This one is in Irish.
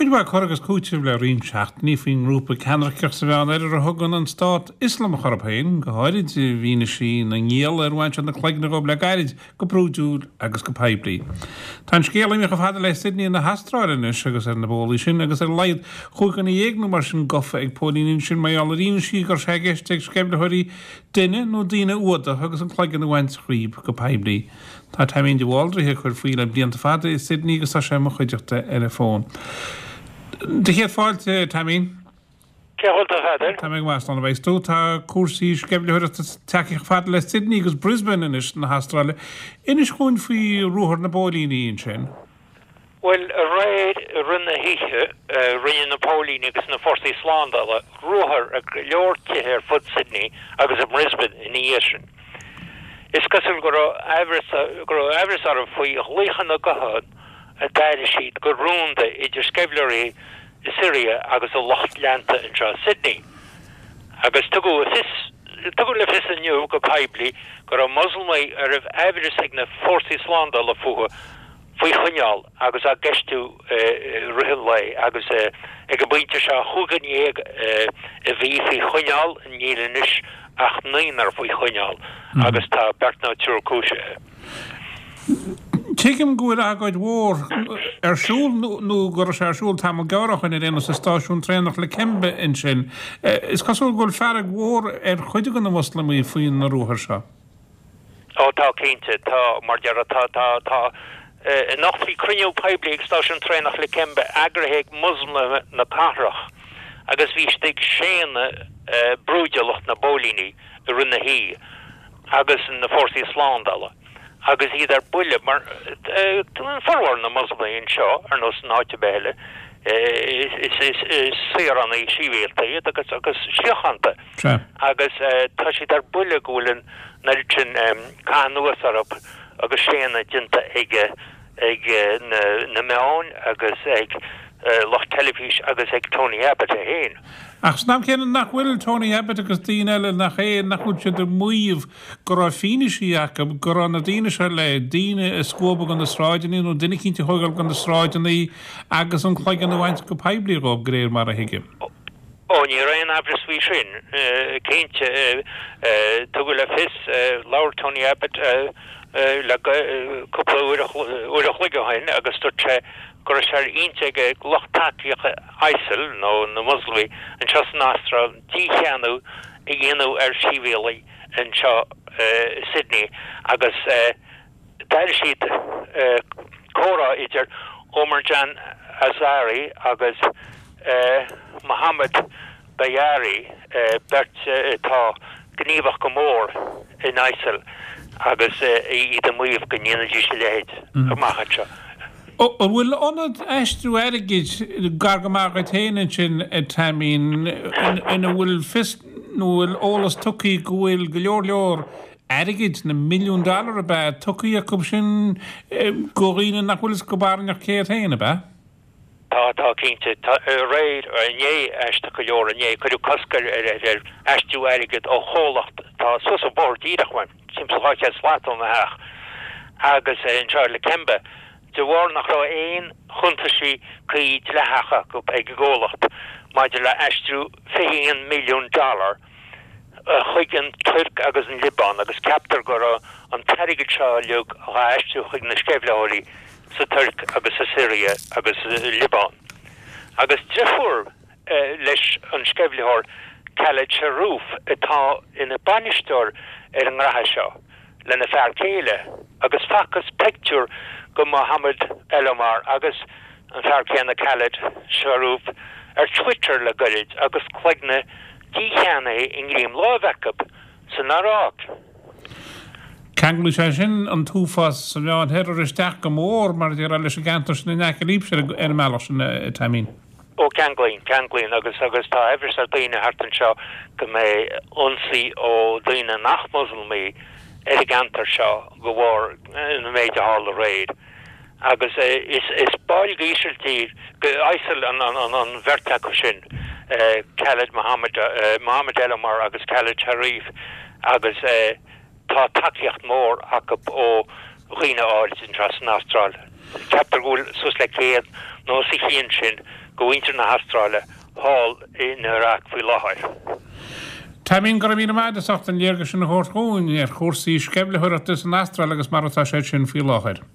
cuid mhaith cur agus cúiteamh le roinnt seachtainí faoin ngrúpa ceannairceach sa Mheánoirthear a thugann an Stát Ioslamach orthu féin, go háirid i bhfianaise na ngialla ar bhain siad na cloigne dhóibh le gairid, go brúidiúil agus go poiblí. Tá an scéal imithe chomh fada le Sydney na hAstráile anois agus ar na bólaí sin agus ar a laghad chúig dhuine dhéag nó mar sin gofa ag póilíní ansin mar gheall ar fhianaisí go raibh sé i gceist ag sceimhlitheoirí duine nó daoine a fhuadach agus an cloigeann a bhaint dhíob go poiblí. Tá Taimín de Bhaldraithe ag cur faoi le blianta fada i Sydney agus tá sé i mo chuideachta ar an bhfón. Do chéad fáilte, Taimín. Cén chaoi a bhfuil tú, a Pheadair? Tá mé go maith, slán a bheas tú. Tá cúrsaí sceimhlitheoireachta tagtha chomh fada le Sydney agus Brisbane anois na hAstráile. Inis dhúinn faoi ruathar na bpóilíní ansin. Bhuel, aréir i rith na hoíche, rinne na póilíní agus na fórsaí slándála ruathar ar go leor tithe ar fud Sydney agus i mBrisbane ina dhiaidh sin. Is cosúil go raibh aimhreas go raibh aimhreas orthu faoi ghlaochanna gutháin a d'airigh siad go rúnda idir sceimhlitheoirí i Siria agus a lucht leanta anseo i Sydney. Agus tugadh a fios tugadh le fios inniu go poiblí go raibh Moslamaigh a raibh aimhreas ag na fórsaí slándála fúthu faoi choinneáil agus á gceistiú i rith an lae agus ag an bpointe seo chúig dhuine dhéag a bhí faoi choinneáil, níl anois ach naonúr faoi choinneáil agus tá beirt nó triúr cúisithe. Tuigim go bhfuil agóid mhór ar siúl nó go raibh sé ar siúl tamall gearr ó shin ar aon nós i stáisiún traenach Lakemba ansin. Is cosúil go bhfuil fearg mhór ar chuid de na Moslamaigh faoi na ruathair seo. Ó tá, cinnte, tá, mar déarfá, tá, tá, tá. Anocht bhí cruinniú poiblí ag stáisiún traenach Lakemba eagraithe ag Moslamaithe na cathrach agus bhí siad ag séanadh brúidiúlacht na bpóilíní i rith na hoíche agus na fórsaí slándála agus iad ar buile mar formhór na Moslamaigh anseo, ar nós in áit ar bith eile, is saoránaigh sibhialta iad agus agus síochánta. Agus tá siad ar buile go bhfuil an oiread sin caitheamh anuas orthu agus séanadh déanta ag ag na meáin agus ag lucht teilifís agus ag Tony Abbott é féin. Ach san am céanna nach bhfuil Tony Abbott agus daoine eile nach é nach bhfuil siad ag maíomh go raibh fianaisí acu go raibh na daoine seo le daoine a scuabadh de na sráideanna nó duine eicínt a thógáil de na sráideanna agus an cloigeann a bhaint go poiblí dhóibh de réir mar a thuigim. Ó, ní raibh aon aimhreas faoi sin, cinnte. Tugadh le fios, labhair Tony Abbott le cúpla uair uair a chloig ó shin agus dúirt sé go raibh sé ar intinn ag lucht tacaíochta ISIL, nó na Moslamaigh, anseo san Astráil dícheannú a dhéanamh ar shibhialaigh anseo i Sydney agus D'airigh siad comhrá idir Omar Jan Azari agus Mohammed Bayari, beirt atá gníomhach go mór in ISIL agus iad ag maíomh go ndéanfaidís a leithéid amach anseo. An bhfuil ionad aistriú airgid gar go maith dhuit féin ansin, a Taimín, ina bhfuil fios nó bhfuil eolas tugtha go bhfuil go leor leor airgid, na milliúin dollar ab ea, tugtha acu sin go dhaoine nach bhfuil fhios acu barainneach cé hiad féin, ab ea? Tá, tá, cinnte. Tá, aréir, inné, aisteach go leor, inné, cuireadh cosc ar, ar, ar aistriú airgid ó chomhlacht atá suas an bóthar díreach uaim, timpeall 200 slat ó mo theach, agus anseo i Lakemba, de bharr nach raibh aon chuntaisí cuí dleathacha acu ag an gcomhlacht maidir le aistriú 21 milliún dollar chuig an Tuirc agus an Liobáin agus ceaptar go raibh an t-airgead seo uilig á aistriú chuig na sceimhlitheoirí sa Tuirc agus sa Siria agus sa Liobáin. Agus driofúr leis an sceimhlitheoir Khaled Sharrouf atá ina bainisteoir ar an ngraithe seo lena fear céile agus facthas pictiúr de Mohammed Elomar agus an fear céanna Khaled Sharrouf ar Twitter le goirid agus cloigne dícheannaithe i ngreim láimhe acu san Iaráic. Ceanglóidh sé sin an t-uafás sa Mheán-Oirthear isteach go mór, mar a déarfá, leis an gceantar sin in aice libhse ar an mbealach sin, a Taimín. Ó, ceanglaíonn, ceanglaíonn agus, agus tá aimhreas ar daoine thart anseo go mbeidh ionsaí ó daoine nach Moslamaigh ar an gceantar seo de bharr an méid a tharla aréir. Agus is is baill d'Ísiltír, ISIL an an bheirt acu sin, Khaled Mohammed, Mohammed Elomar agus Khaled Sharif agus tá tacaíocht mhór acu ó dhaoine áirid anseo san Astráil. Ceaptar go bhfuil suas le 100 nó os a chionn sin. do mhuintir na hAstráile thall in Iraq faoi láthair. Taimín, go raibh míle maith agat as ucht an léargas sin a thabhairt dhúinn ar chúrsaí sceimhlitheoireachta san Astráil agus mar atá sé sin faoi láthair.